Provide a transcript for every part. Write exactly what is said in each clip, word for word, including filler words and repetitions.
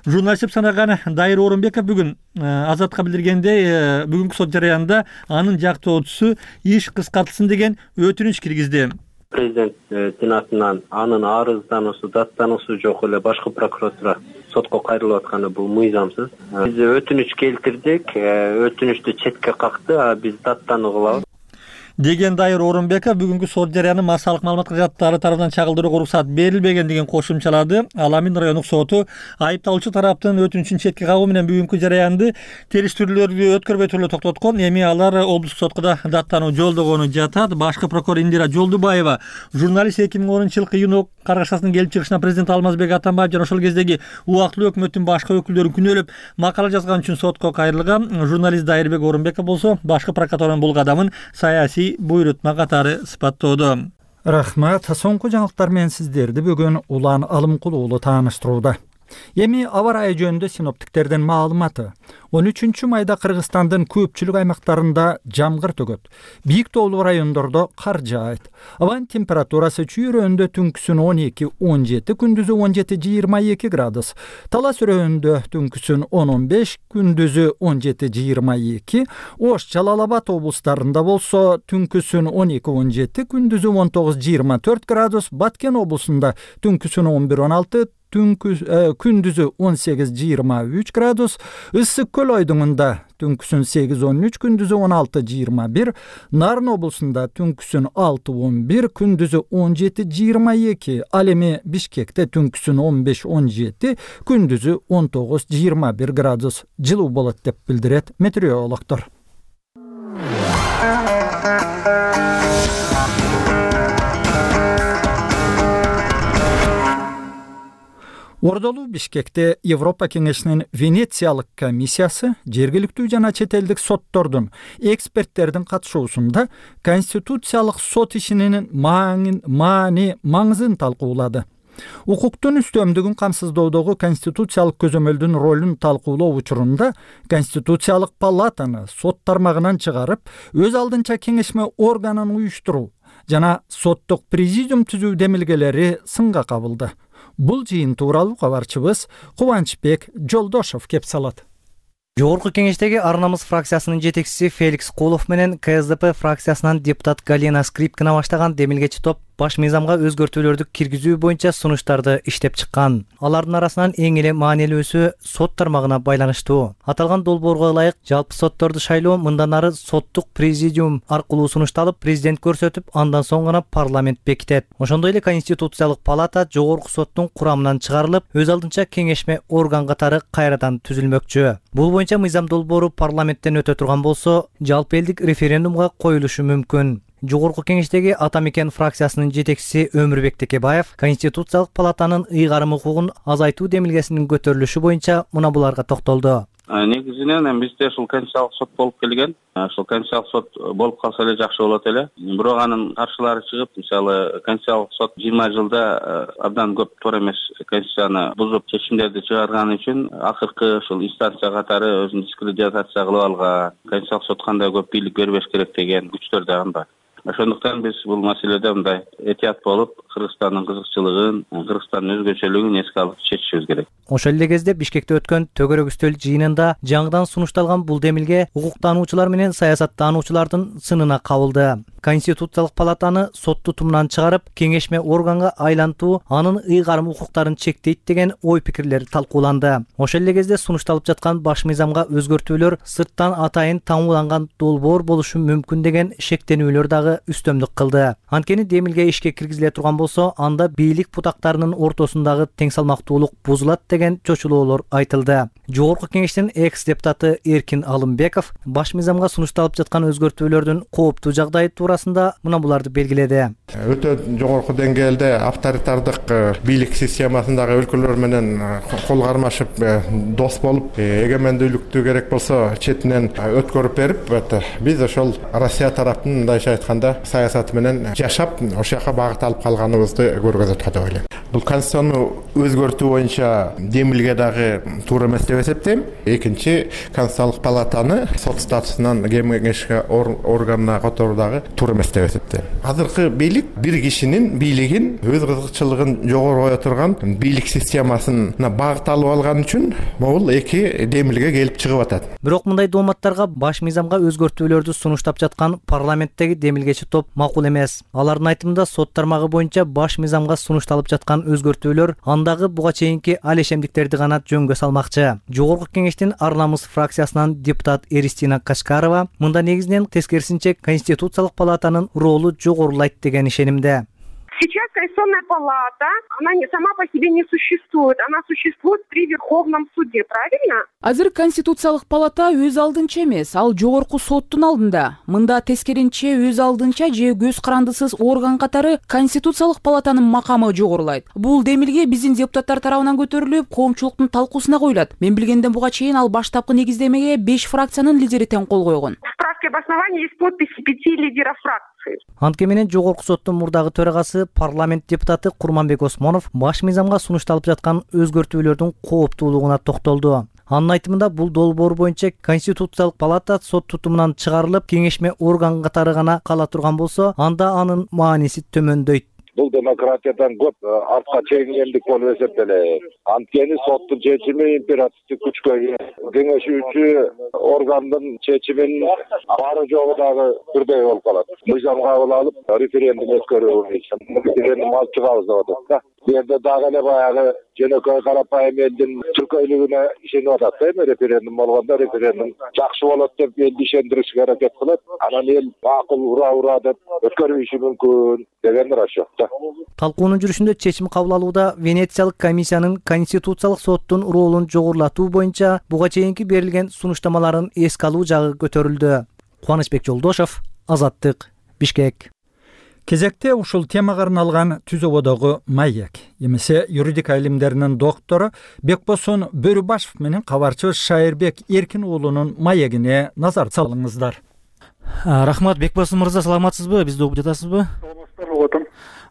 Журналист деп санаган Дайыр Орунбеков бүгүн Азатка билдиргендей, бүгүнкү сот жараянында анын жактоочусу иш кыскартылсын деген өтүнүч киргизди. Президенттин атынан анын арыздануусу, даттануусу жок эле башкы прокуратура сотко кайрылып атканы бул мыйзамсыз. Биз өтүнүч келтирдик, өтүнүчтү четке какты, а биз даттануу кылабыз деген Дайыр Орунбеков бүгүнкү сот жараянын массалык маалымат кызматтары тарабынан чагылдырууга уруксат берилбегендигин кошумчалады. Ал Амин райондук соту айыпталуучу тараптын өтүнүчүн четке кагуу менен бүгүнкү жараянды териштирүүлөрдү өткөрбөй туруп токтоткон. Эми алар облустук сотко да даттануу жолдогону жатат. Башкы прокурор Индира Жолдубаева журналист эки миң онунчу жылкы июнь каргашасынын келип чыгышына президент Алмазбек Атамбаев жана ошол кездеги убактылуу өкмөттүн башкы өкүлдөрүн күнөөлөп макала жазган үчүн сотко кайрылган. Журналист Дайырбек Орунбеков болсо башкы прокуратуранын бул кадамын саясий буйрутма катары сыпаттоодо. Рахмат. Соңку жаңылыктар менен сиздерди бүгүн Улан Алымкул уулу тааныштырууда. Эми аба ырайы жөнүндө синоптиктердин маалыматы. он үчүнчү майда Кыргызстандын көпчүлүк аймактарында жамгыр төгөт. Бийик тоолуу райондордо кар жаайт. Абанын температурасы чүйрөндө түнкүсүн он эки он жети, күндүзү он жети жыйырма эки градус. Талас өрөндө түнкүсүн он он беш, күндүзү он жети жыйырма эки. Ош, Жалал Абад облустарында болсо түнкүсүн он эки он жети, күндүзү он тогуз жыйырма төрт градус. Баткен облусунда түнкүсүн он бир он алты, күндүзү он сегиз жыйырма үч градус. Ысык көл ойдуңунда түнкүсүн сегиз он үч, күндүзү он алты жыйырма бир. Нарын облусунда түнкүсүн алты он бир, күндүзү он жети жыйырма эки. Ал эми Бишкекте түнкүсүн он беш он жети, күндүзү он тогуз жыйырма бир градус жылуу болот деп билдирет метеорологдор. Ордолуу Бишкекте Европа кеңешинин Венециялык комиссиясы жергиликтүү жана чет элдик соттордун эксперттердин катышуусунда конституциялык сот ишинин маани маңызын талкуулады. Укуктун үстөмдүгүн камсыздоодогу конституциялык көзөмөлдүн ролун талкуулоо учурунда Конституциялык палатаны сот тармагынан чыгарып, өз алдынча кеңешме органын уюштуруу жана соттук президиум түзүү демилгелери сынга кабылды. Бул жыйын тууралуу кабарчыбыз Кубанычбек Жолдошов кеп салат. Жогорку кеңештеги Ар намыс фракциясынын жетекчиси Феликс Кулов менен Ка Эс Д П фракциясынан депутат Галина Скрипкина баштаган демилгечи топ баш мыйзамга өзгөртүүлөрдү киргизүү боюнча сунуштарды иштеп чыккан. Алардын арасынан эң эле маанилүүсү сот тармагына байланыштуу. Аталган долбоорго ылайык жалпы сотторду шайлоо мындан ары соттук президиум аркылуу сунушталып, президент көрсөтүп, андан соң гана парламент бекитет. Ошондой эле Конституциялык палата жогорку соттун курамынан чыгарылып, өз алдынча кеңешме орган катары кайрадан түзүлмөкчү. Бул боюнча мыйзам долбоору парламенттен өтө турган болсо, жалпы элдик референдумга коюлушу мүмкүн. Жогорку кеңештеги Ата Мекен фракциясынын жетекчиси Өмүрбек Текебаев Конституциялык палатанын ыйгарым укугун азайтуу демилгесинин көтөрүлүшү боюнча мына буларга токтолду. Негизинен бизде ушул конституциялык сот болуп келген. Ушул конституциялык сот болуп калса эле жакшы болот эле. Бирок анын каршылары чыгып, мисалы, конституциялык сот жыйырма жылда абдан көп туура эмес конституцияны бузуп чечимдерди чыгарганы үчүн акыркы ушул инстанция катары өзүн дискредитация кылып алган. Конституциялык сот кандай көп бийлик бербеш керек деген күчтөр дагы бар. Ошондуктан биз бул маселеде мындай этият болуп, Кыргызстандын кызыкчылыгын, Кыргызстандын өзгөчөлүгүн эске алып чечишибиз керек. Ошол эле кезде Бишкекте өткөн төгөрөк үстөл жыйынында жаңыдан сунушталган бул демилге укуктануучулар менен саясаттануучулардын сынына кабылды. Конституциялык палатаны сот тутумунан чыгарып, кеңешме органга айлантуу анын ыйгарым укуктарын чектейт деген ой пикирлер талкууланды. Ошол эле кезде сунушталып жаткан баш мыйзамга өзгөртүүлөр сырттан атайын таңууланган долбоор болушу мүмкүн деген шектенүүлөр дагы үстөмдүк кылды. Анткени демилге ишке киргизиле турган болсо, анда бийлик бутактарынын ортосундагы тең салмактуулук бузулат деген чочулоолор айтылды. Жогорку кеңештин экс депутаты Эркин Алымбеков баш мыйзамга сунушталып жаткан өзгөртүүлөрдүн кооптуу жагдайы туурасында мына буларды белгиледи. Өтө жогорку деңгээлде авторитардык бийлик системасындагы өлкөлөр менен кол кармашып дос болуп, эгемендүүлүктү керек болсо четинен өткөрүп берип, биз ошол Россия тараптын мындайча айтканда саясаты менен жашап, ошол жака багыт алып калганыбызды көргөзөт деп ойлойм. Бул конституцияны өзгөртүү боюнча демилге дагы туура эмес деп эсептейм. Экинчи, Конституциялык палатаны сот статусунан кеңешке органына которуу дагы туура эмес деп эсептейм. Азыркы бийлик бир кишинин бийлигин өз кызыкчылыгын жогору кое турган бийлик системасына багыт алып алган үчүн могул эки демилге келип чыгып атат. Бирок мындай дооматтарга баш мыйзамга өзгөртүүлөрдү сунуштап жаткан парламенттеги демилгечи топ макул эмес. Алардын айтымында сот тармагы боюнча баш мыйзамга сунушталып жаткан өзгөртүүлөр андагы буга чейинки алешемдиктерди гана жөнгө салмакчы. Жогорку кеңештин Ар намыс фракциясынан депутат Эристина Качкарова мында негизинен тескерисинче Конституциялык палатанын ролу жогорулайт деген ишенимде. Сейчас Конституционная палата, она не, сама по себе не существует, она существует при Верховном суде, правильно? Азыр Конституциялык палата өз алдынча эмес, ал жогорку соттун алдында. Мында тескеринче өз алдынча же көз карандысыз орган катары Конституциялык палатанын макамы жогорулайт. Бул демилге биздин депутаттар тарабынан көтөрүлүп, коомчулуктун талкуусуна коюлат. Мен билгенден буга чейин ал баштапкы негиздемеге беш фракциянын лидери тең кол койгон. В справке об основании есть подписи пяти лидеров фракции. Антке менен жогорку соттун мурдагы төрагасы парламент депутаты Курманбек Осмонов баш мыйзамга сунушталып жаткан өзгөртүүлөрдүн кооптуулугуна токтолду. Анын айтымында бул долбоор боюнча Конституциялык палата сот тутумунан чыгарылып, кеңешме орган катары гана кала турган болсо, анда анын мааниси төмөндөйт. Бул демократиядан көп артка чегингендик болуп эсептелет. Анткени соттун чечими императивдик күчкө ээ. Кеңешүүчү органдын чечимин бары жогу дагы бирдей болуп калат. Мыйзам кабыл алып, референдум өткөрүү боюнча референдум алып чыгабыз деп атат да. Бу жерде дагы эле баягы жөнөкөй карапайым элдин чуркөйлүгүнө ишенип атат да, эми референдум болгондо референдум жакшы болот деп элди ишендиришке аракет кылат. Анан эл макул ура ура деп өткөрүшү мүмкүн деген расчет да. Талкуунун жүрүшүндө чечим кабыл алууда Венециялык комиссиянын Конституциялык соттун ролун жогорулатуу боюнча буга чейинки берилген сунуштамаларын эске алуу жагы көтөрүлдү. Кубанычбек Жолдошов, Азаттык, Бишкек. Кезекте ушул темага арналган түзөбөдөгү маек, эмесе юридика илимдеринин доктору Бекбосон Бөрүбашев менен кабарчыбыз Шайырбек Эркин уулунун маегине назар салыңыздар. Рахмат, Бекбосон мырза, саламатсызбы? Бизди угуп жатасызбы? Саламатсызбы.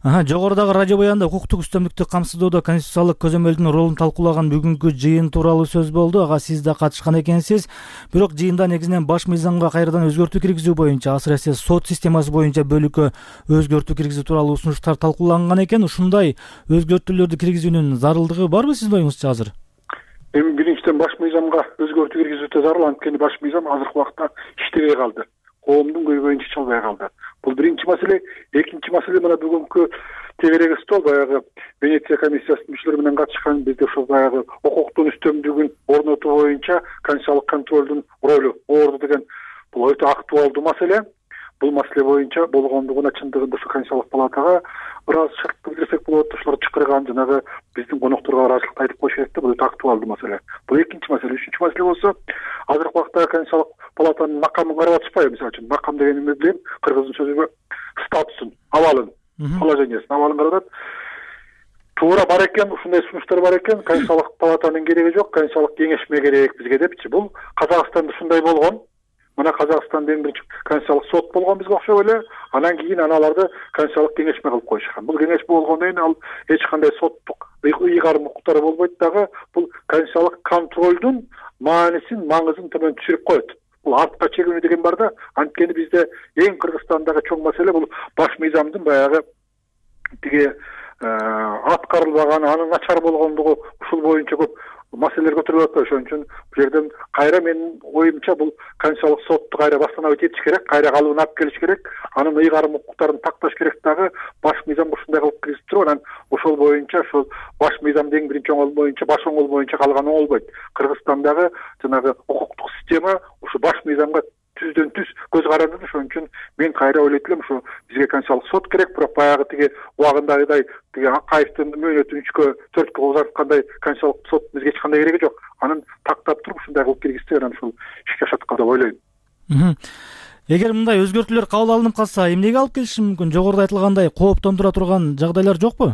Ага, жогорудагы радио баянда укуктук үстөмдүктү камсыздоодо конституциялык көзөмөлдүн ролун талкуулаган бүгүнкү жыйын тууралуу сөз болду. Ага сиз да катышкан экенсиз. Бирок жыйында негизинен баш мыйзамга кайрадан өзгөртүү киргизүү боюнча, асыресе сот системасы боюнча бөлүккө өзгөртүү киргизүү тууралуу сунуштар талкууланган экен. Ушундай өзгөртүүлөрдү киргизүүнүн зарылдыгы барбы сиздин оюңузча азыр? Эми биринчиден баш мыйзамга өзгөртүү киргизүү зарыл, анткени баш мыйзам азыркы убакта иштебей калды. Коомдун көйгөйүн чече албай калды. Бул биринчи маселе. Экинчи маселе мына бүгүнкү тегерек стол баягы Венеция комиссиясынын мүчөлөрү менен катышкан бизде ошол баягы укуктун үстөмдүгүн орнотуу боюнча конституциялык контролдун ролу орду деген бул өтө актуалдуу маселе. Бул маселе боюнча болгондугуна чындыгында ушу конституциялык палатага ыраазычылык билдирсек болот. Ошолор чакырган жанагы биздин конокторго ыраазычылыкты айтып коюш керек да, бул өтө актуалдуу маселе. Бул экинчи маселе. Үчүнчү маселе болсо, азыркы убакта конституциялык палатанын макамын карап атышпайбы? Мисалы үчүн макам дегенди мен билем, кыргыздын сөзү статусун, абалын, положениясын, абалын карап атат. Туура бар экен, ушундай сунуштар бар экен. Конституциялык палатанын кереги жок, конституциялык кеңешме керек бизге депчи. Бул Казакстанда ушундай болгон. Мына Казакстанда эң биринчи конституциялык сот болгон бизге окшоп эле. Анан кийин аналарды конституциялык кеңешме кылып коюшкан. Бул кеңешме болгондон кийин ал эч кандай соттук ыйгарым укуктары болбойт дагы. Бул конституциялык контролдун маанисин, маңызын төмөн түшүрүп коет. Бул артка чегинүү деген бар да. Анткени бизде эң Кыргызстандагы чоң маселе бул баш мыйзамдын баягы тиги аткарылбаганы, анын начар болгондугу, ушул боюнча көп маселелер көтөрүлүп атат. Ошон үчүн бул жерден кайра менин оюмча бул конституциялык сотту кайра баштан этиш керек, кайра калыбына алып келиш керек, анын ыйгарым укуктарын такташ керек дагы. Баш мыйзам ушундай кылып киргизип туруп, анан ошол боюнча ошол баш мыйзамдын эң биринчи оңол боюнча, баш оңол боюнча калган оңолбойт. Кыргызстандагы жанагы укуктук система ушу баш мыйзамга түздөн түз көз каранды. Ошон үчүн мен кайра ойлойт элем, ушу бизге конституциялык сот керек, бирок баягы тиги убагындагыдай тиги Акаевдин мөөнөтүн үчкө төрткө узарткандай конституциялык сот бизге эч кандай кереги жок. Анын тактап туруп ушундай кылып киргизсе, анан ушул ишке ашаткан деп ойлойм. Эгер мындай өзгөртүүлөр кабыл алынып калса, эмнеге алып келиши мүмкүн? Жогоруда айтылгандай кооптондура турган жагдайлар жокпу?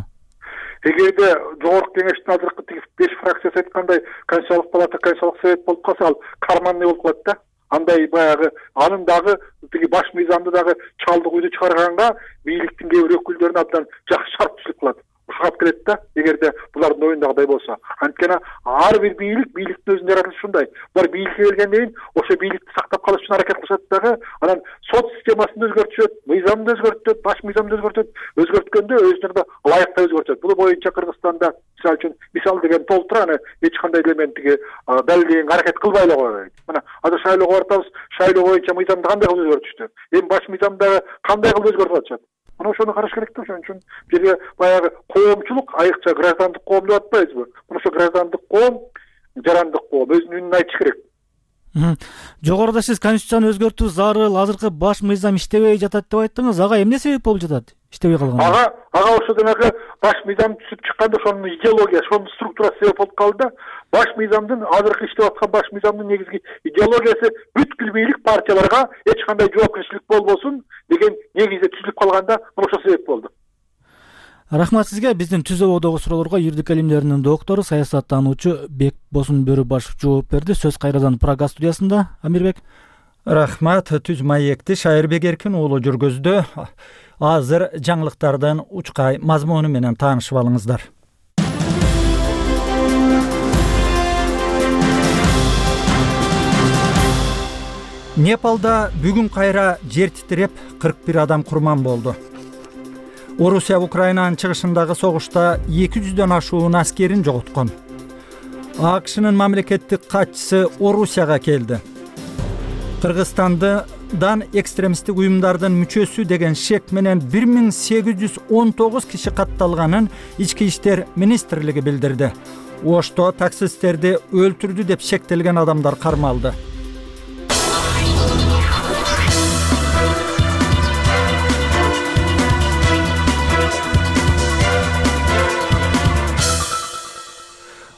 Эгерде жогорку кеңештин азыркы тиги беш фракциясы айткандай конституциялык палата, конституциялык совет болуп калса, ал карманный болуп калат да. Андай баягы анын дагы тиги баш мыйзамды дагы чалдык үйдү чыгарганга бийликтин кээ бир өкүлдөрүнө абдан жакшы шарт түшүп калат. кагап келет да, эгерде булардын оюндагыдай болсо. Анткени ар бир бийлик бийликтин өзүнүн жаратылышы ушундай. Булар бийликке келгенден кийин ошо бийликти сактап калыш үчүн аракет кылышат дагы, анан сот системасын өзгөртүшөт, мыйзамды өзгөртөт, баш мыйзамды өзгөртөт, өзгөрткөндө өзүнө ылайыктуу өзгөртөт. Бул боюнча Кыргызстанда мисалы үчүн мисал деген толтура, аны эч кандай элементиги далилдегенге аракет кылбай эле койбойт. Мына азыр шайлоого бартабыз, шайлоо боюнча мыйзамды кандай кылып өзгөртүштү? Эми баш мыйзамдагы кандай кылып өзгөртүп атышат? Мына ошону караш керек да. Ошон үчүн бизге баягы коомчулук, айрыкча граждандык коом деп атпайбызбы? Мына ошо граждандык коом, жарандык коом өзүнүн үнүн айтыш керек. Жогоруда сиз конституцияны өзгөртүү зарыл, азыркы баш мыйзам иштебей жатат деп айттыңыз. Ага эмне себеп болуп жатат? Иштебей калган. Ага, ага ошо демеки баш мыйзам түзүп чыкканда ошонун идеологиясы, ошонун структурасы себеп болуп калды да. Баш мыйзамдын азыркы иштеп аткан баш мыйзамдын негизги идеологиясы бүткүл бийлик партияларга эч кандай жоопкерчилик болбосун деген негизде түзүлүп калганда, ошо себеп болду. Рахмат сизге. Биздин түз ободогу суроолорго юридик илимдеринин доктору, саясаттануучу Бекбосун Бөрүбашев жооп берди. Сөз кайрадан Прага студиясында. Амирбек. Рахмат. Түз маекти Шайырбек Эркин уулу жүргөздү. Азыр жаңылыктардын учкай мазмуну менен таанышып алыңыздар. Непалда бүгүн кайра жер титиреп кырк бир адам курман болду. Орусия Украинанын чыгышындагы согушта эки жүздөн ашуун аскерин жоготкон. АКШнын мамлекеттик катчысы Орусияга келди. Кыргызстандан экстремисттик уюмдардын мүчөсү деген шек менен бир миң сегиз жүз он тогуз киши катталганын Ички иштер министрлиги билдирди. Ошто таксисттерди өлтүрдү деп шектелген адамдар кармалды.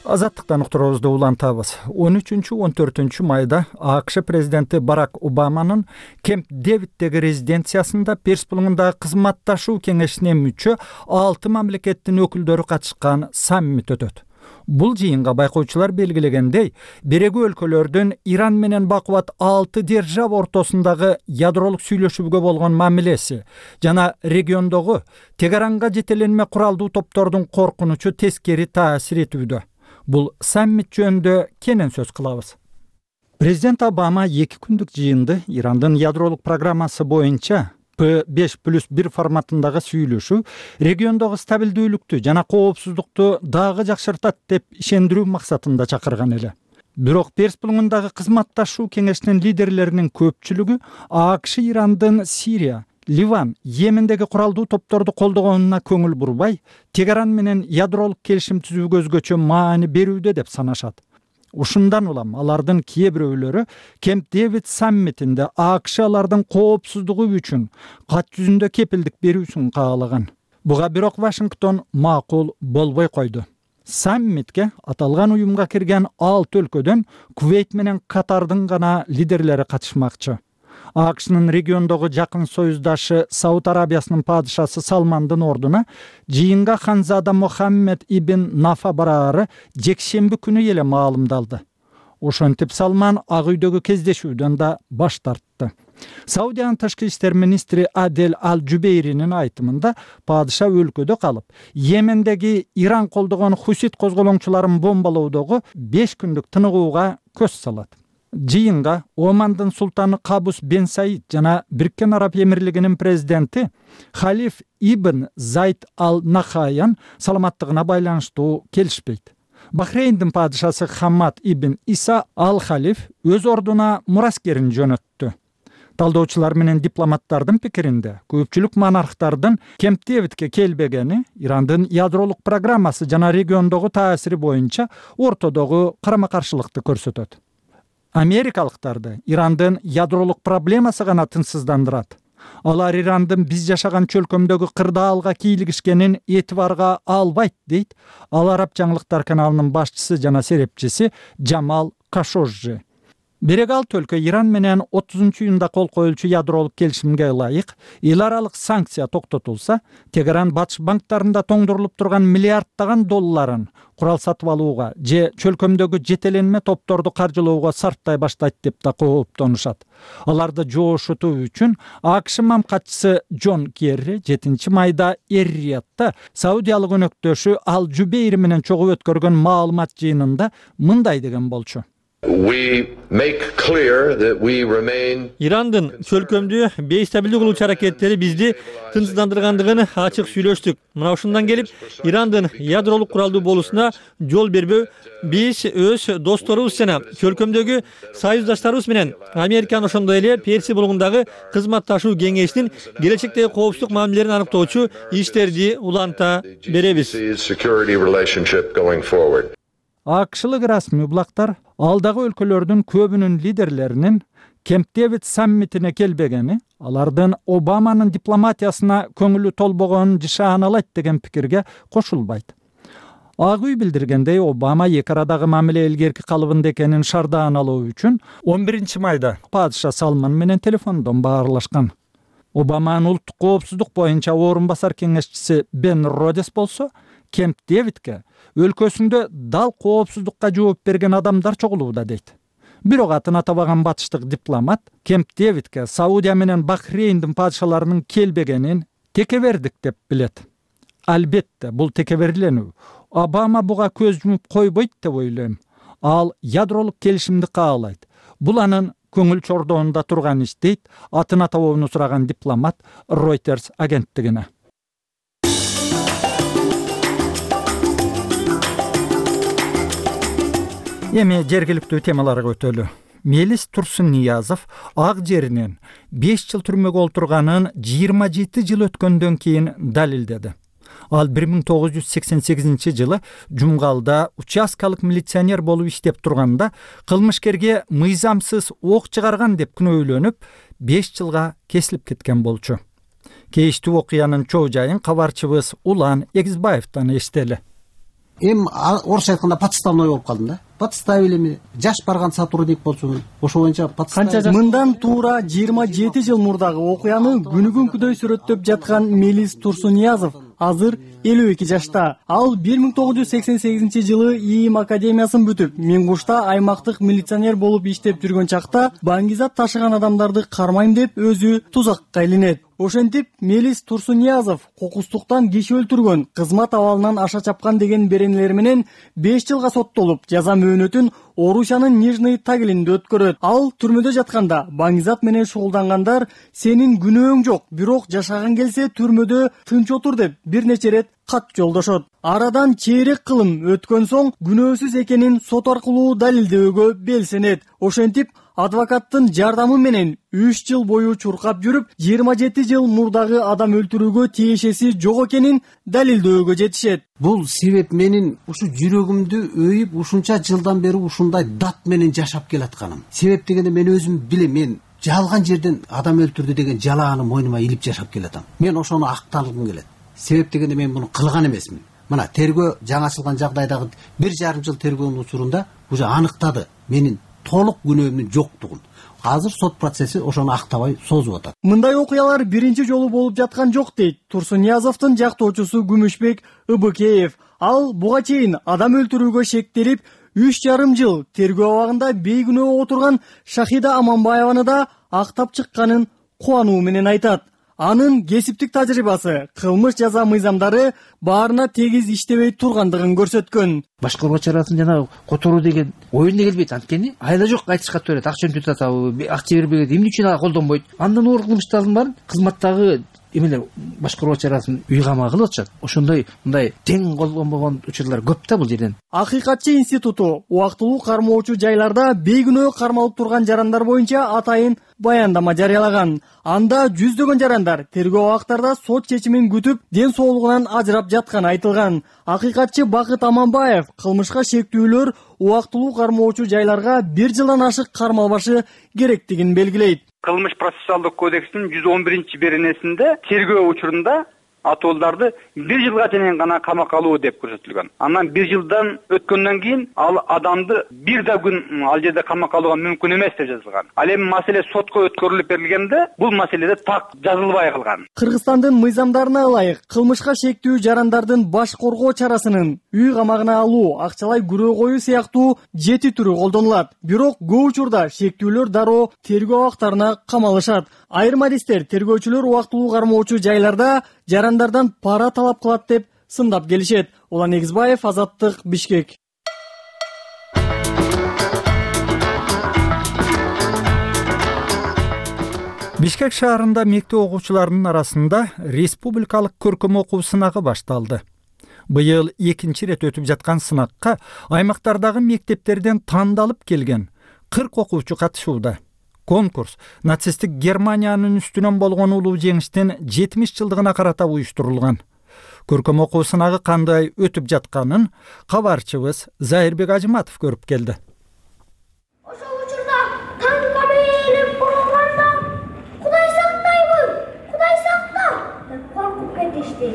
Азаттыктан уктуруубузду улантабыз. он үчүнчү он төртүнчү майда АКШ президенти Барак Обаманын Кемп Дэвиддеги резиденциясында Перс булуңундагы кызматташуу кеңешине мүчө алты мамлекеттин өкүлдөрү катышкан саммит өтөт. Бул жыйынга байкоочулар белгилегендей, берегүү өлкөлөрдүн Иран менен бакубат алты держава ортосундагы ядролук сүйлөшүүгө болгон мамилеси жана региондогу Тегеранга жетеленме куралдуу топтордун коркунучу тескери таасир этүүдө. Бул саммит жөнүндө кенен сөз кылабыз. Президент Обама эки күндүк жыйынды Ирандын ядролук программасы боюнча П беш плюс бир форматындагы сүйлөшүү региондогу стабилдүүлүктү жана коопсуздукту дагы жакшыртат деп ишендирүү максатында чакырган эле. Бирок Перс булуңундагы кызматташуу кеңешинин лидерлеринин көпчүлүгү АКШ Ирандын Сирия, Ливан, Йемендеги куралдуу топторду колдогонуна көңүл бурбай, Тегеран менен ядролук келишим түзүүгө өзгөчө маани берүүдө деп санашат. Ушундан улам алардын кээ бирөөлөрү Кемп Дэвид саммитинде АКШ алардын коопсуздугу үчүн кат жүзүндө кепилдик берүүсүн каалаган. Буга бирок Вашингтон макул болбой койду. Саммитке аталган уюмга кирген алты өлкөдөн Кувейт менен Катардын гана лидерлери катышмакчы. АКШнын региондогу жакын союздашы Сауд Арабиясынын падышасы Салмандын ордуна жыйынга Ханзада Мохаммед ибн Нафа бараары жекшемби күнү эле маалымдалды. Ошентип Салман Ак үйдөгү кездешүүдөн да баш тартты. Саудиянын тышкы иштер министри Адель Ал-Жубейринин айтымында падыша өлкөдө калып, Йемендеги Иран колдогон Хусит козголоңчуларын бомбалоодогу беш күндүк тыныгууга көз салат. Жыйынга Омандын султаны Кабус бен Саид жана Бириккен Араб Эмирлигинин президенти Халиф ибн Зайд ал-Нахаян саламаттыгына байланыштуу келишпейт. Бахрейндин падышасы Хаммад ибн Иса ал-Халиф өз ордуна мураскерин жөнөттү. Талдоочулар менен дипломаттардын пикиринде көпчүлүк монархтардын Кемп Дэвидке келбегени Ирандын ядролук программасы жана региондогу таасири боюнча ортодогу карама-каршылыкты көрсөтөт. Америкалыктарды Ирандын ядролук проблемасы гана тынчсыздандырат. Алар Ирандын биз жашаган чөлкөмдөгү кырдаалга кийлигишкенин этибарга албайт дейт Ал Араб жаңылыктар каналынын башчысы жана серепчиси Джамал Кашожжи. Бирок ал өлкө Иран менен отузунчу июнда кол коюлчу ядролук келишимге ылайык эл аралык санкция токтотулса, Тегеран батыш банктарында тоңдурулуп турган миллиарддаган долларын курал сатып алууга же чөлкөмдөгү жетеленме топторду каржылоого сарптай баштайт деп да кооптонушат. Аларды жоошутуу үчүн АКШ мамкатчысы Джон Керри жетинчи майда Эр-Риядда Саудиялык өнөктөшү Ал Жубейр менен чогуу өткөргөн маалымат жыйынында мындай деген болчу. Ирандын чөлкөмдүү бейстабилдүү кылуучу аракеттери бизди тынчсыздандыргандыгын ачык сүйлөштүк. Мына ушундан келип, Ирандын ядролук куралдуу болуусуна жол бербөө биз өз досторубуз жана чөлкөмдөгү союздаштарыбыз менен Американын ошондой эле Персия булугундагы кызматташуу кеңешинин келечектеги коопсуздук мамилелерин аныктоочу иштерди уланта беребиз. АКШлык расмий булактар алдагы өлкөлөрдүн көбүнүн лидерлеринин Кемп Дэвид саммитине келбегени, алардын Обаманын дипломатиясына көңүлү толбогонун жышааналайт деген пикирге кошулбайт. Ак үй билдиргендей, Обама эки арадагы мамиле илгерки калыбында экенин шардаан алуу үчүн он биринчи майда падыша Салман менен телефондон баарлашкан. Обаманын улуттук коопсуздук боюнча орун басар кеңешчиси Бен Родес болсо, Кемп Дэвидке өлкөсүндө дал коопсуздукка жооп берген адамдар чогулууда дейт. Бирок атын атабаган батыштык дипломат Кемп Дэвидке Саудия менен Бахрейндин падышаларынын келбегенин текебердик деп билет. Албетте, бул текеберленүү. Обама буга көз жумуп койбойт деп ойлойм. Ал ядролук келишимди каалайт. Бул анын көңүл чордоонунда турган иш дейт атын атабоону сураган дипломат Reuters агенттигине. Эми жергиликтүү темаларга өтөлү. Мелис Турсунниязов ак жеринен беш жыл түрмөгө олтурганын жыйырма жети жыл өткөндөн кийин далилдеди. Ал бир миң тогуз жүз сексен сегизинчи жылы Жумгалда участкалык милиционер болуп иштеп турганда кылмышкерге мыйзамсыз ок чыгарган деп күнөөлөнүп беш жылга кесилип кеткен болчу. Кейиштүү окуянын чоо жайын кабарчыбыз Улан Эгизбаевден эстели. Эм орусча айтканда подставной болуп калдым да. Подставили эми жаш барган сотрудник болчу. Ошо боюнча подставили. Мындан туура жыйырма жети жыл мурдагы окуяны күнү-күнкүдөй сүрөттөп жаткан Мелис Турсунниязов азыр элүү эки жашта. Ал бир миң тогуз жүз сексен сегизинчи жылы ИИМ академиясын бүтүп, Миңгушта аймактык милиционер болуп иштеп жүргөн чакта баңгизат ташыган адамдарды кармайм деп өзү тузакка илинет. Ошентип Мелис Турсунниязов кокустуктан киши өлтүргөн, кызмат абалынан аша чапкан деген беренелер менен беш жылга соттолуп, жаза мөөнөтүн Орусиянын Нижний Тагилинде өткөрөт. Ал түрмөдө жатканда баңгизат менен шугулдангандар сенин күнөөң жок, бирок жашагың келсе түрмөдө тынч отур деп бир нече рет кат жолдошот. Арадан чейрек кылым өткөн соң күнөөсүз экенин сот аркылуу далилдөөгө белсенет. Ошентип адвокаттын жардамы менен үч жыл бою чуркап жүрүп, жыйырма жети жыл мурдагы адам өлтүрүүгө тиешеси жок экенин далилдөөгө жетишет. Бул себеп менин ушу жүрөгүмдү өйүп ушунча жылдан бери ушундай дат менен жашап келатканым. Себеп дегенде мен өзүм билем, мен жалган жерден адам өлтүрдү деген жалааны мойнума илип жашап келатам. Мен ошону акталгым келет. Себеп дегенде мен муну кылган эмесмин. Мына тергөө жаңачылган жагдайдагы бир жарым жыл тергөөнүн учурунда уже аныктады менин толук күнөөмдүн жоктугун. Азыр сот процесси ошону актабай созуп атат. Мындай окуялар биринчи жолу болуп жаткан жок дейт Турсунниязовдун жактоочусу Күмүшбек Ыбыкеев. Ал буга чейин адам өлтүрүүгө шектелип, үч жарым жыл тергөө абагында бейкүнөө отурган Шахида Аманбаеваны да актап чыкканын кубануу менен айтат. Анын кесиптик тажрыйбасы, кылмыш жаза мыйзамдары баарына тегиз иштебей тургандыгын көрсөткөн. Башкаруу чарасын жана которуу деген оюнда келбейт, анткени айла жок айтышка төрөт, акча өтүп атабы, акча бербегенде эмне үчүн ага колдонбойт. Андан оор кылмыштардын баарын кызматтагы эмелер башкаруу чарасын үй камагы кылып атышат. Ошондой мындай тең колдонбогон учурлар көп да бул жерден. Акыйкатчы институту убактылуу кармоочу жайларда бейкүнөө кармалып турган жарандар боюнча атайын баяндама жарыялаган. Анда жүздөгөн жарандар тергөө абактарда сот чечимин күтүп, ден соолугунан ажырап жатканы айтылган. Акыйкатчы Бакыт Аманбаев кылмышка шектүүлөр убактылуу кармоочу жайларга бир жылдан ашык кармалбашы керектигин белгилейт. Кылмыш процессуалдык кодекстин жүз он биринчи беренесинде тергөө учурунда атуулдарды бир жылга чейин гана камакка алуу деп көрсөтүлгөн. Анан бир жылдан өткөндөн кийин ал адамды бир да күн ал жерде камакка алууга мүмкүн эмес деп жазылган. Ал эми маселе сотко өткөрүлүп берилгенде бул маселеде так жазылбай калган. Кыргызстандын мыйзамдарына ылайык кылмышка шектүү жарандардын баш коргоо чарасынын үй камагына алуу, акчалай күрөө коюу сыяктуу жети түрү колдонулат. Бирок көп учурда шектүүлөр дароо тергөө абактарына камалышат. Айрым адистер тергөөчүлөр убактылуу кармоочу жайларда жарандардан пара талап кылат деп сындап келишет. Улан Негизбаев, Азаттык, Бишкек. Бишкек шаарында мектеп окуучуларынын арасында республикалык көркөм окуу сынагы башталды. Быйыл экинчи ирет өтүп жаткан сынакка аймактардагы мектептерден тандалып келген кырк окуучу катышууда. Конкурс нацисттик Германиянын үстүнөн болгон улуу жеңиштин жетимиш жылдыгына карата уюштурулган. Көркөм окуу сынагы кандай өтүп жатканын кабарчыбыз Зайырбек Ажыматов көрүп келди. Ошол учурда танка менен бурулганда Кудай сактайбы, Кудай сакта деп коркуп кетишти.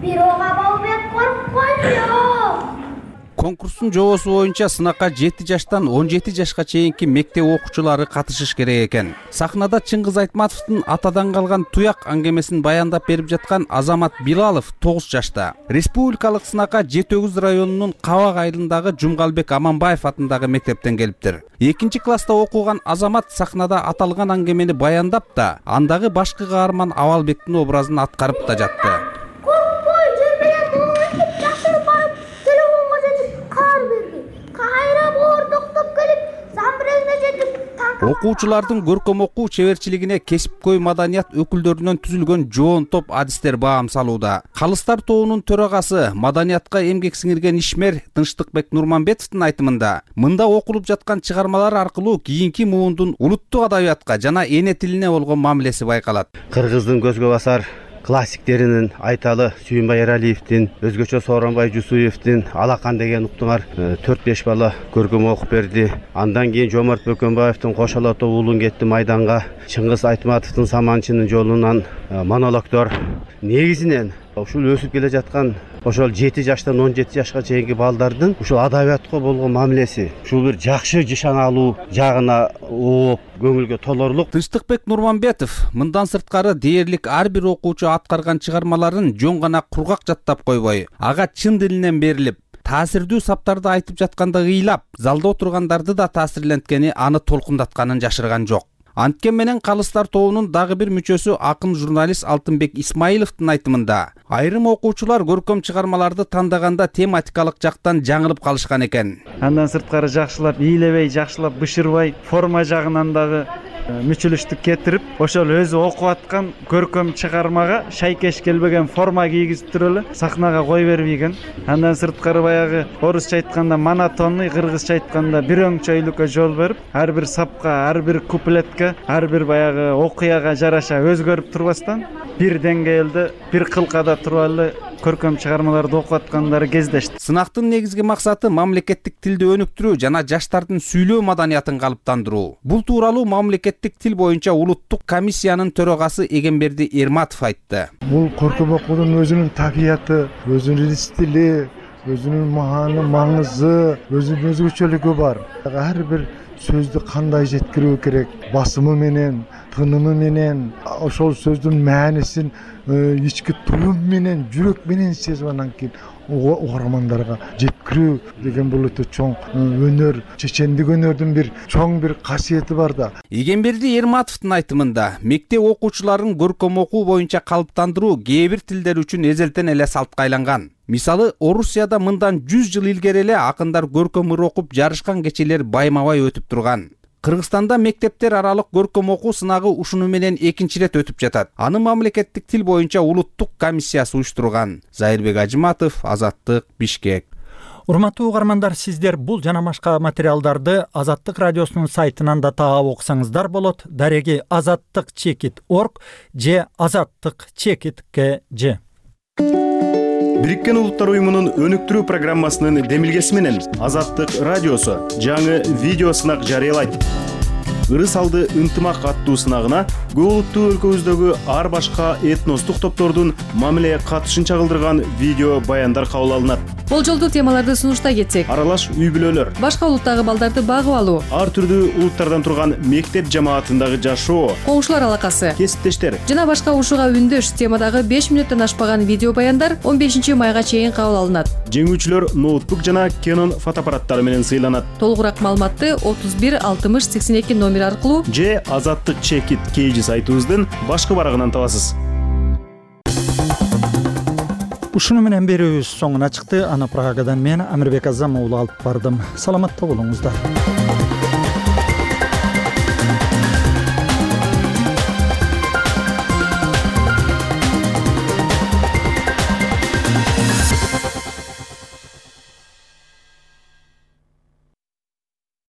Бирок Абалбек корккон жок. Конкурстун жобосу боюнча сынакка жети жаштан он жети жашка чейинки мектеп окуучулары катышыш керек экен. Сахнада Чыңгыз Айтматовдун атадан калган туяк аңгемесин баяндап берип жаткан Азамат Билалов тогуз жашта. Республикалык сынакка Жети Өгүз районунун Кабак айылындагы Жумгалбек Аманбаев атындагы мектептен келиптир. Экинчи класста окуган Азамат сахнада аталган аңгемени баяндап да, андагы башкы каарман Абалбектин образын аткарып да жатты. Окуучулардын көркөм окуу чеберчилигине кесипкөй маданият өкүлдөрүнөн түзүлгөн жоон топ адистер баам салууда. Калыстар тобунун төрагасы, маданиятка эмгек сиңирген ишмер Тынчтыкбек Нурманбетовдун айтымында, мында окулуп жаткан чыгармалар аркылуу кийинки муундун улуттук адабиятка жана эне тилине болгон мамилеси байкалат. Кыргыздын көзгө басар классиктеринин Айталы Сүйүнбай Эралиевдин, өзгөчө Сооронбай Жусуевдин Алакан деген уктуңар төрт беш бала көркөм окуп берди. Андан кийин Жомарт Бөкөнбаевдин Кош ала тоо уулун кетти майданга, Чыңгыз Айтматовдун Саманчынын жолунан монологдор. Негизинен ушул өсүп келе жаткан ошол жети жаштан он жети жашка чейинки балдардын ушул адабиятка болгон мамилеси, ушул бир жакшы жышан алуу жагына ооп, көңүлгө толорлук. Тынчтыкбек Нурманбетов мындан сырткары дээрлик ар бир окуучу аткарган чыгармаларын жөн гана кургак жаттап койбой, ага чын дилинен берилип, таасирдүү саптарды айтып жатканда ыйлап, залда отургандарды да таасирленткени, аны толкундатканын жашырган жок. Анткен менен Калыстар тобунун дагы бир мүчөсү акын журналист Алтынбек Исмаиловдун айтымында, айрым окуучулар көркөм чыгармаларды тандаганда тематикалык жактан жаңылып калышкан экен. Андан сырткары жакшылап ийлебей, жакшылап бышырбай, форма жагынан дагы мүчүлүштүк кетирип, ошол өзү окуп аткан көркөм чыгармага шайкеш келбеген форма кийгизип туруп эле сахнага кой бербеген. Андан сырткары баягы орусча айтканда монотонный, кыргызча айтканда бир өңчөйлүккө жол берип, ар бир сапка, ар бир куплетке, ар бир баягы окуяга жараша өзгөрүп турбастан бир деңгээлде, бир кылкада туруп эле көркөм чыгармаларды окуп аткандары кездешти. Сынактын негизги максаты мамлекеттик тилди өнүктүрүү жана жаштардын сүйлөө маданиятын калыптандыруу. Бул тууралуу мамлекеттик тил боюнча улуттук комиссиянын төрагасы Эгемберди Эрматов айтты. Бул көркөм окуунун өзүнүн табияты, өзүнүн стили, өзүнүн мааны, маңызы, өзүнүн өзгөчөлүгү бар. Ар бир сөздү кандай жеткирүү керек, басымы менен, тынымы менен, ошол сөздүн маанисин ички туюм менен, жүрөк менен сезип анан кийин угармандарга жеткирүү деген бул өтө чоң өнөр, чечендик өнөрдүн бир чоң бир касиети бар да. Эгемберди Эрматовдун айтымында, мектеп окуучуларын көркөм окуу боюнча калыптандыруу кээ бир тилдер үчүн эзелтен эле салтка айланган. Мисалы, Орусияда мындан жүз жыл илгери эле акындар көркөм ыр окуп жарышкан кечелер байма-бай өтүп турган. Кыргызстанда мектептер аралык көркөм окуу сынагы ушуну менен экинчи ирет өтүп жатат. Аны мамлекеттик тил боюнча улуттук комиссиясы уюштурган. Зайырбек Ажыматов, Азаттык, Бишкек. Урматтуу угармандар, сиздер бул жана башка материалдарды Азаттык радиосунун сайтынан да таап окусаңыздар болот. Дареги азаттык чекит орг же азаттык чекит кж. Бириккен Улуттар уюмунун өнүктүрүү программасынын демилгеси менен Азаттык радиосу жаңы видео сынак жарыялайт. ыры салды ынтымак аттуу сынагына көп улуттуу өлкөбүздөгү ар башка этностук топтордун мамиле катышын чагылдырган видео баяндар кабыл алынат. Болжолдуу темаларды сунуштай кетсек: аралаш үй бүлөлөр, башка улуттагы балдарды багып алуу, ар түрдүү улуттардан турган мектеп жамаатындагы жашоо, коңшулар алакасы, кесиптештер жана башка ушуга үндөш темадагы беш мүнөттөн ашпаган видео баяндар он бешинчи майга чейин кабыл алынат. Жеңүүчүлөр ноутбук жана Canon фотоаппараттары менен сыйланат. Толугураак маалыматты отуз бир алтымыш сексен эки номер аркылуу же Азаттык Чекит Кейжи сайтыбыздын башкы барагынан табасыз. Ушуну менен берүүбүз соңуна чыкты. Аны Прагадан мен Амирбек Азам уулу алып бардым. Саламатта болуңуздар.